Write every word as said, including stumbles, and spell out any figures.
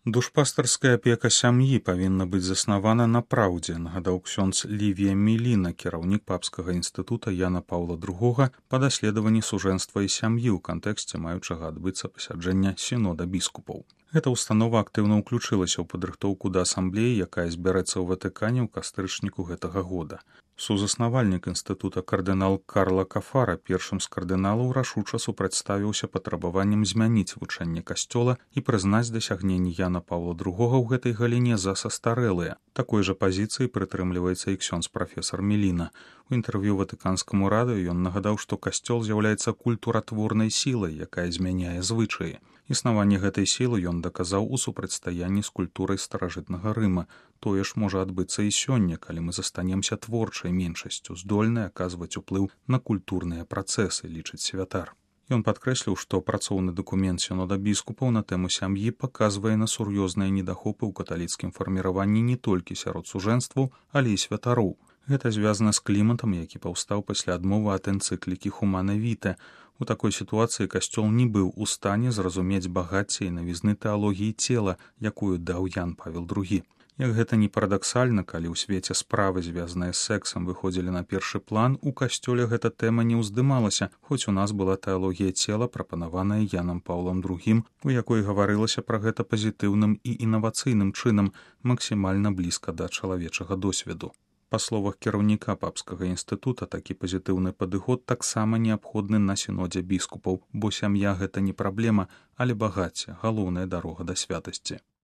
Душпастарская апека сям'і павінна быць заснавана на праўдзе, нагадаў ксёндз Лівія Міліна, кіраўнік папскага інстытута Яна Паўла другога па даследаванні сужэнства і сям'і ў кантэксце маючага адбыцца пасяджэння сінода біскупаў. Гэта ўстанова актыўна ўключылася ў падрыхтоўку да асамблеі, якая збярэцца ў Ватыкане ў кастрычніку гэтага года. Сузаснавальнік інстытута кардынал Карла Кафара першым з кардыналаў рашуча супрацьставіўся патрабаваннем змяніць вучэнне касцёла і прызнаць дасягненні Яна Паўла другога ў гэтай галіне за састарэлыя. Такой жа пазіцыі прытрымліваецца і ксёндз прафесар Міліна. У інтэрв'ю ватыканскаму радыё ён нагадаў, што касцёл з'яўляецца культуратворнай сілай, якая змяняе звычаі. Існаванне гэтай сілы ён даказаў у супрацьстаянні з культурай старажытнага Рыма. Тое ж можа адбыцца і сёння, калі мы застанемся творчай меншасцю, здольнай аказваць уплыў на культурныя працэсы, лічыць святар. Ён падкрэсліў, што працоўны дакумент сінода біскупаў на тэму сям'і паказвае на сур'ёзныя недахопы ў каталіцкім фарміраванні не толькі сярод сужэнстваў, але і святароў. Гэта звязана з кліматам, які паўстаў пасля адмовы ад энцыклікі Humanae Vitae. У такой сітуацыі касцёл не быў у стане зразумець багацце і навізны тэалогіі цела, якую даў Ян Павел другі. Як гэта не парадаксальна, калі ў свеце справы, звязаныя з сэксам, выходзілі на першы план, у касцёле гэта тэма не ўздымалася, хоць у нас была тэалогія цела, прапанаваная Янам Паўлам другім, у якой гаварылася пра гэта пазітыўным і інавацыйным чынам, максімальна блізка да чалавечага досведу. Па словах кіраўніка папскага інстытута, такі пазітыўны падыход таксама неабходны на сінодзе біскупаў, бо сям'я гэта не праблема, але багацце, галоўная дарога да святасці.